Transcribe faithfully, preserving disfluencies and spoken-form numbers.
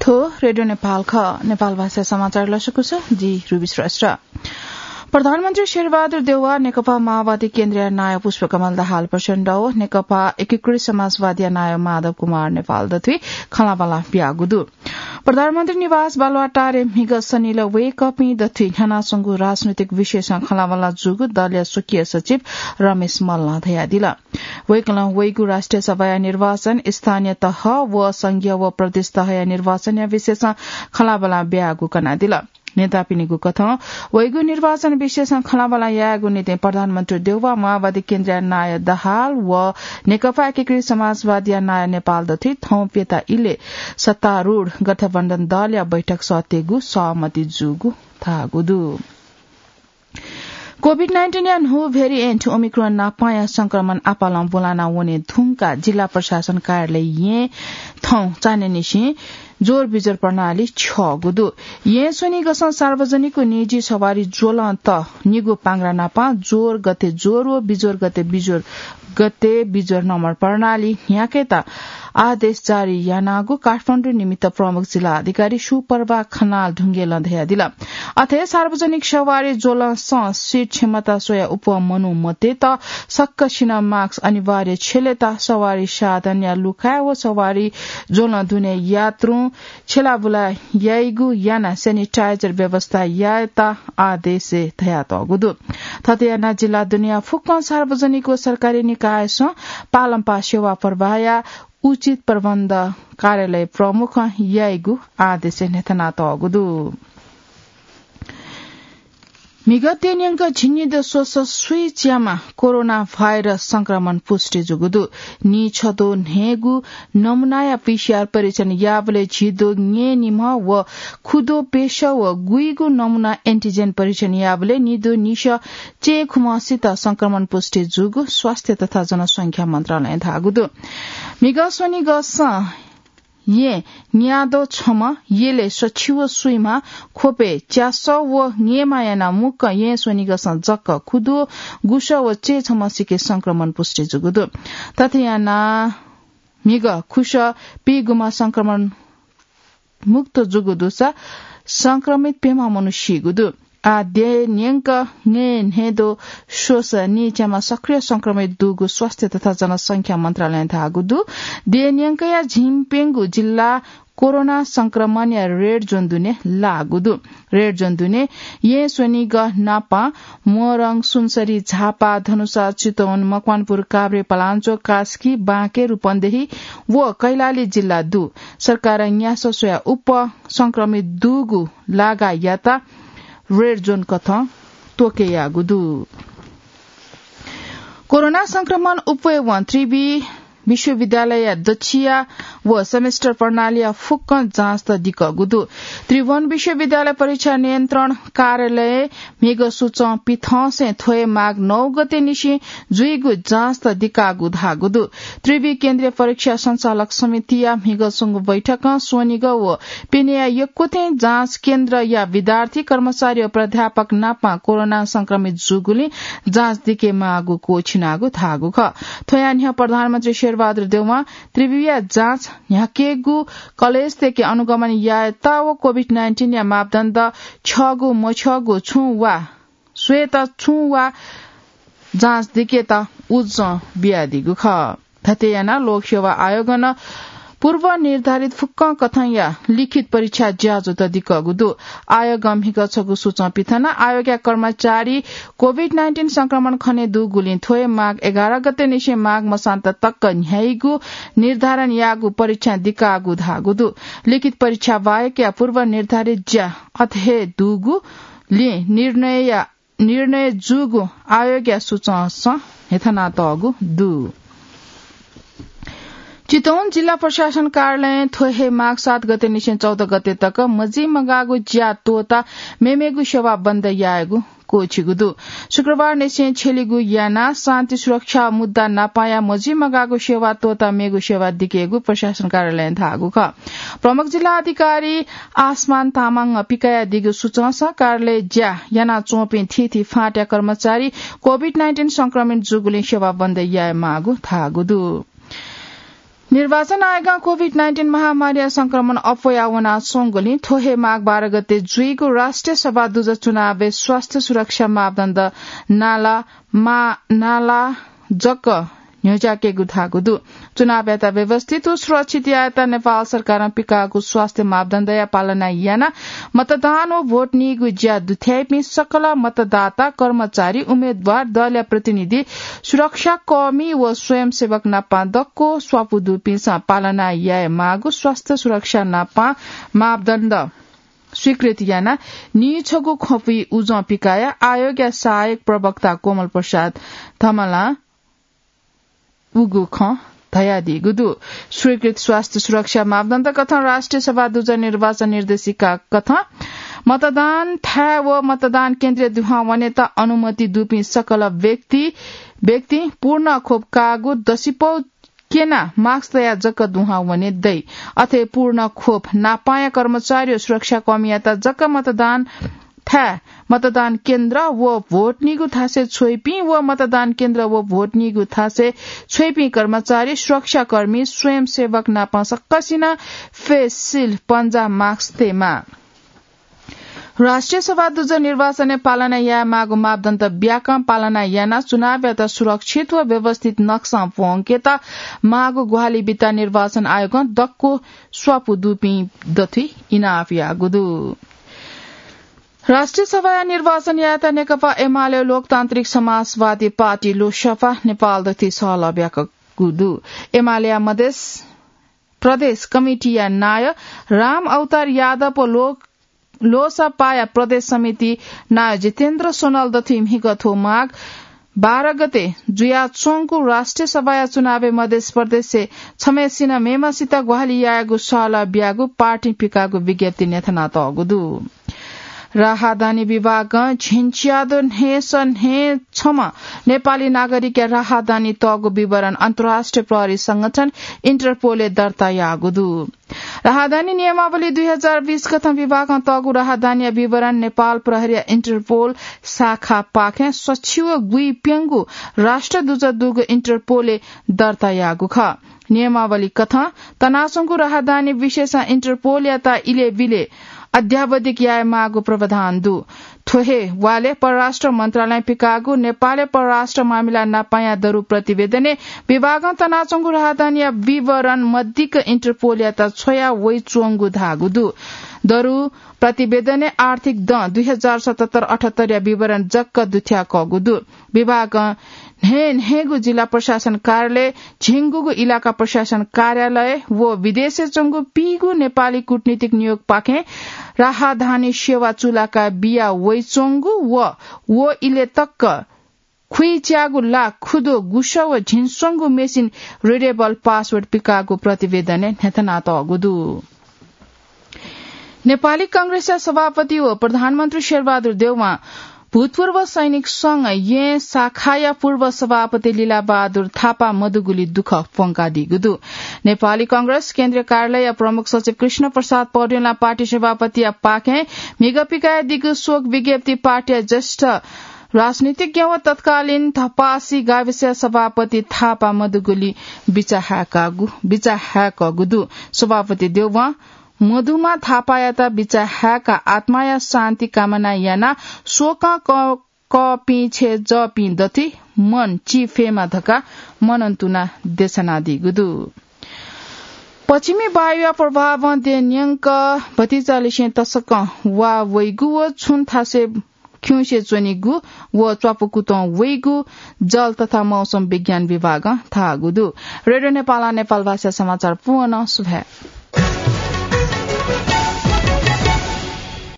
थ्व रेडियो नेपाल खः। नेपाल भाषा समाचार लसकुस, जि रुबी श्रेष्ठ। प्रधानमन्त्री शेरबहादुर देउवा, नेकपा माओवादी केन्द्रीय नायः पुष्पकमल दाहाल प्रचण्ड व नेकपा एकीकृत समाजवादीया नायः माधव कुमार नेपाल दथुइ खँल्हाबल्हा ब्याःगु दु। प्रधानमन्त्री निवास बालुवाटारय् म्हिगः सनिलय् वय्कःपिं दथुइ न्ह्यानाच्वंगु राजनैतिक विषयसं खँल्हाबल्हा जूगु दलया स्वकीय सचिव रमेश मल्लं धयादिल। वय्कलं वइगु राष्ट्रिय सभाया निर्वाचन, स्थानीय तह व संघीय व प्रदेश तहया निर्वाचनया विषयसं खँल्हाबल्हा ब्याःगु कनादिल। नेतापिनिगु कथं वइगु निर्वाचन विषयसं खँल्हाबल्हा यायेगु निंतिं प्रधानमन्त्री देउवा, माओवादी केन्द्रीय नायः दाहाल व नेकपा एकीकृत समाजवादीया नायः नेपाल दथुइ थौं प्यता इलय् सत्तारूढ गठबन्धन दलया बैठक सःतेगु सहमति जूगु धाःगु दु। कोभिड नाइन्टिनया न्हू भेरिएन्ट ओमिक्रोन नापांया संक्रमण आपालं ब्वलाना वने धुंकाः जिल्ला प्रशासन कार्यालय येँ थौं चान्हय्‌निसें ज्वर बिज्वर प्रणाली छ्यःगु दु। येँ स्वनिगसं सार्वजनिक व निजी सवारी ज्वलं त निगू पांग्रा नापां ज्वर गते ज्वर व बिज्वर गते बिज्वर गते बिज्वर नम्बर प्रणाली न्ह्याकेत आदेश जारी यानागु काठमाडौं निमित्त प्रमुख जिल्ला अधिकारी सुप्रभा खनाल ढुंगेलं धयादिल। अथे सार्वजनिक सवारी ज्वलंसं सिट क्षमता स्वया उपवा मनू मतेत सक्कसिनं मास्क अनिवार्य छ्यलेत सवारी साधनया लुखाय् व सवारी ज्वलं दुने यात्रुं छ्यलाबुला याइगु याना सेनिटाइजर व्यवस्था यायेत आदेशय् धयातःगु दु। थथे याना जिल्ला दुनेया फुक्कं सार्वजनिक व सरकारी निकायसं पालंपाः सेवा प्रवाहया उचित प्रबन्ध कार्यालय प्रमुखं याइगु आदेशय् न्ह्यथनातःगु दु। म्हिगः देय् न्यंक झिंनिदँ स्वसः स्वीच्याम्ह कोरोना भाइरस संक्रमण पुष्टि जूगु दु। नीछद्वः न्हय्‌गू नमूनाया पीसीआर परीक्षण याःबलय् झिद्वः न्यय्‌निम्ह व खुद्वः प्यसः व गुइगू नमूना एन्टिजेन परीक्षण याःबलय् निद्वः निसः चय्‌खुम्हसित संक्रमण पुष्टि जूगु स्वास्थ्य तथा जनसंख्या मन्त्रालयं धाःगु दु। म्हिगः स्वनिगसं येँ न्याद्वः छम्ह, यलय् सछि व स्वीम्ह, ख्वपय् च्यासः व ङय्‌म्ह यानाः मुक्कं येँ स्वनिगसं जक खुद्वः गुसः व चय्‌छम्हसिके संक्रमण पुष्टि जूगु दु। थथे यानाः म्हिगः खुसः पीगुम्ह संक्रमण मुक्त जूगु दुसा संक्रमित प्यम्ह मनू सीगु दु। आः देय् न्यंक ङय् न्हय्‌द्वः स्वसः नीच्याम्ह सक्रिय संक्रमित दुगु स्वास्थ्य तथा जनसंख्या मन्त्रालयं धाःगु दु। देय् न्यंकया झिंप्यंगू जिल्ला कोरोना संक्रमणया रेड जोन दुने लाःगु दु। रेड जोन दुने येँ स्वनिगः नापं मोरङ, सुनसरी, झापा, धनुषा, चितवन, मकवानपुर, काभ्रे, पलाञ्चोक, कास्की, बाँके, रूपन्देही व कैलाली जिल्ला दु। सरकारं न्यासः स्वया उप संक्रमित दुगु लागायात रेड जोन कथं त्वके याःगु दु। कोरोना संक्रमण उप्वय्‌वं त्रिवि विश्वविद्यालयया दच्छिया व सेमेस्टर प्रणालीया फुक्कं जाँचत दिकःगु दु। त्रिभुवन विश्वविद्यालय परीक्षा नियन्त्रण कार्यालयं म्हिगः सुचं पिथंसें थ्व हे माघ नौ गते निसें जुइगु जाँचत दिकाःगु धाःगु दु। त्रिवि केन्द्रीय परीक्षा सञ्चालक समितिया म्हिगः स्वंगु बैठकं स्वनिगः व पिनेया यक्वथें जाँच केन्द्रया विद्यार्थी, कर्मचारी व प्राध्यापक नापं कोरोना संक्रमित जूगुलिं जाँच दिके माःगु क्वःछिनागु धाःगु खः। थ्वया न्ह्यः प्रधानमन्त्री शेरबहादुर देउवां त्रिविया जाँच न्ह्याकेगु, कलेजतय्‌के अनुगमन यायेत व कोभिड नाइन्टिनया मापदण्ड छ्यःगु मछ्यःगु छुं वा स्वयेत छुं वा जाँच दिकेत उजं बियादीगु खः। थथे यानाः लोकसेवा आयोगं नं पूर्व निर्धारित फुक्कं कथंया लिखित परीक्षा ज्याझ्वःत दिकःगु दु। आयोगं म्हिगः छगू सुचं पिथनाः आयोगया कर्मचारी कोभिड नाइन्टिन संक्रमण खनेदुगुलिं थ्व हे माघ एघार गते निसें माघ मसान्त तक न्ह्याइगु निर्धारण याःगु परीक्षा दिकाःगु धाःगु दु। लिखित परीक्षा बाहेकया पूर्व निर्धारित ज्या अथे हे दुगुलिं निर्णयया निर्णय जूगु आयोगया सुचंसं न्ह्यथनातःगु दु। चितवन जिल्ला प्रशासन कार्यालयं थ्व हे माघ सात गते निसें चौध गते तक मजिमगाःगु ज्या त्वःताः मेमेगु सेवा बन्द यायेगु क्वःछिगु दु। शुक्रबार निसें छ्यलिगु यानाः शान्ति सुरक्षा मुद्दा नापाया मजिमगाःगु सेवा त्वःताः मेगु सेवा दिकेगु प्रशासन कार्यालयं धाःगु खः। प्रमुख जिल्ला अधिकारी आसमान तामाङं पिकयादीगु सुचंसं कार्यालय ज्या यानाच्वंपिं थीथी फाँटया कर्मचारी कोभिड नाइन्टिन संक्रमित जूगुलिं सेवा बन्द याये माःगु धाःगु दु। निर्वाचन आयोगं COVID nineteen महामारीया संक्रमण अप्वया वनाच्वंगुलिं थ्व हे माघ बाह्र गते जुइगु राष्ट्रिय सभा दुजः चुनावय् स्वास्थ्य सुरक्षा मापदण्ड नाला मा-, नाला जक न्ह्यज्याकेगु धाःगु दु। चुनावयात व्यवस्थित व सुरक्षित यायेत नेपाल सरकारं पिकाःगु स्वास्थ्य मापदण्डया पालना यानाः मतदान व भोट नीगु ज्या दुथ्याइपिं सकल मतदाता, कर्मचारी, उम्मेदवार, दलया प्रतिनिधि, सुरक्षाकर्मी व स्वयंसेवक नापं दक्व स्वापू दुपिन्सं पालना याये माःगु स्वास्थ्य सुरक्षा नापं मापदण्ड स्वीकृत यानाः नीछगू ख्वपुइ उजं पिकाया आयोगया सहायक प्रवक्ता कोमल प्रसाद धमलां उगु खँ धयादीगु दु। स्वीकृत स्वास्थ्य सुरक्षा मापदण्ड कथं राष्ट्रिय सभा दुजः निर्वाचन निर्देशिका कथं मतदान थाय् व मतदान केन्द्रय् दुहां वनेत अनुमति दुपिं सकल व्यक्ति, व्यक्ति पूर्ण खोप काःगु दसिपौ क्यना मास्क तया जक दुहां वने दइ। अथे पूर्ण खोप नापांया कर्मचारी व सुरक्षाकर्मीयात जक मतदान थाय्, मतदान केन्द्र व भोट नीगु थासय् छ्वइपिं व मतदान केन्द्र व भोट नीगु थासय् छ्वइपिं कर्मचारी, सुरक्षाकर्मी, स्वयंसेवक नापं सकसिनं face shield, पन्जा, मास्क तयेमाः। राष्ट्रिय सभा दुजः निर्वाचनय् पालना याये माःगु मापदण्ड ब्याकं पालना यानाः चुनावयात सुरक्षित व व्यवस्थित नक्सां प्वंकेत माःगु ग्वाहालि बीत निर्वाचन आयोगं दक्व स्वापू दुपिं दथुइ इनाप याःगु दु। राष्ट्रिय सभाया निर्वाचन यायेत नेकपा एमाले लोकतान्त्रिक समाजवादी पार्टी लोसपा नेपाल दथुइ सहलह ब्याकूगु दु। एमालेया मधेस प्रदेश कमिटीया नायः राम अवतार यादव व लोक-, लोसपाया प्रदेश समिति नायः जितेन्द्र सोनाल दथुइ म्हिगः थ्व माघ बाह्र गते जुयाच्वंगु राष्ट्रिय सभाया चुनावय् मधेस प्रदेशय् छम्हय्सिनं मेम्हय्सित ग्वाहालि यायेगु सहलह ब्याःगु पार्टीं पिकाःगु विज्ञप्ति न्ह्यथनातःगु दु। राहदानी विभागं झिंच्यादँ न्हय्स न्हय् छम्ह नेपाली नागरिकया राहदानी तःगु विवरण अन्तर्राष्ट्रिय प्रहरी संगठन इन्टरपोलय् दर्ता याःगु दु। राहदानी नियमावली दुई हजार बीस कथं विभागं तःगु राहदानीया विवरण नेपाल प्रहरीया इन्टरपोल शाखापाखें सछि व गुइप्यंगू राष्ट्रदूत दुगु इन्टरपोलय् दर्ता याःगु खः। नियमावली कथं तनाच्वंगु राहदानी विषयसं इन्टरपोलयात इलय् बिलय् अध्यावधिक याये माःगु प्रावधान दु। थ्व हे वालय् परराष्ट्र मन्त्रालयं पिकाःगु नेपालय् परराष्ट्र मामिला नापांया दरु प्रतिवेदनय् विभागं तनाच्वंगु राहदानीया विवरण मदिक्क इन्टरपोलयात छ्वया वइच्वंगु धाःगु दु। दरु प्रतिवेदनय् आर्थिक दँ दुई हजार सतहत्तर अठहत्तरया विवरण जक दुथ्याकःगु दु। विभागं न्हय् न्हय्गू जिल्ला प्रशासन कार्यालय, झिंगूगू इलाका प्रशासन कार्यालय व विदेशय् च्वंगु पीगू नेपाली कूटनीतिक नियोगपाखें राहदानी सेवा चूलाका बिया वइच्वंगु व व इलय् तक खुइच्याःगु ला खुदो गुसः व झिंस्वंगू मेसिन readable password पिकाःगु प्रतिवेदनय् न्ह्यथनातःगु दु। नेपाली कांग्रेसया सभापति व प्रधानमन्त्री शेरबहादुर देउवां भूतपूर्व सैनिक संघ येँ शाखाया पूर्व सभापति लीलाबहादुर थापा मदुगुली दुःख प्वंकादीगु दु। नेपाली कांग्रेस केन्द्रीय कार्यालयया प्रमुख सचिव कृष्ण प्रसाद पौडेलया पार्टी सभापतिया पाखें म्हिगः पिकायादीगु शोक विज्ञप्ति पार्टीया ज्येष्ठ राजनीतिज्ञ व तत्कालीन धपासी गाविसया सभापति थापा मदुगुली बिचाहाय्कागु, बिचाहाय्कःगु दु। सभापति देउवां मधुमा थापायात बिचाहाय्काः आत्माया शान्ति कामना यानाः शोकं क-, कःपिं छेँ जःपिं दथुइ मन चिफेमा धकाः मनंतुना देछानादीगु दु। पश्चिमी वायुया प्रभावं देय् न्यंक भतिचालिसें तसकं वा वइगु व छुं थासय् खिउँसे च्वनीगु व च्वापुकुतं वइगु जल तथा मौसम विज्ञान विभागं धाःगु दु। रेडियो नेपालं नेपाल भाषा समाचार पूवं सुभाय्।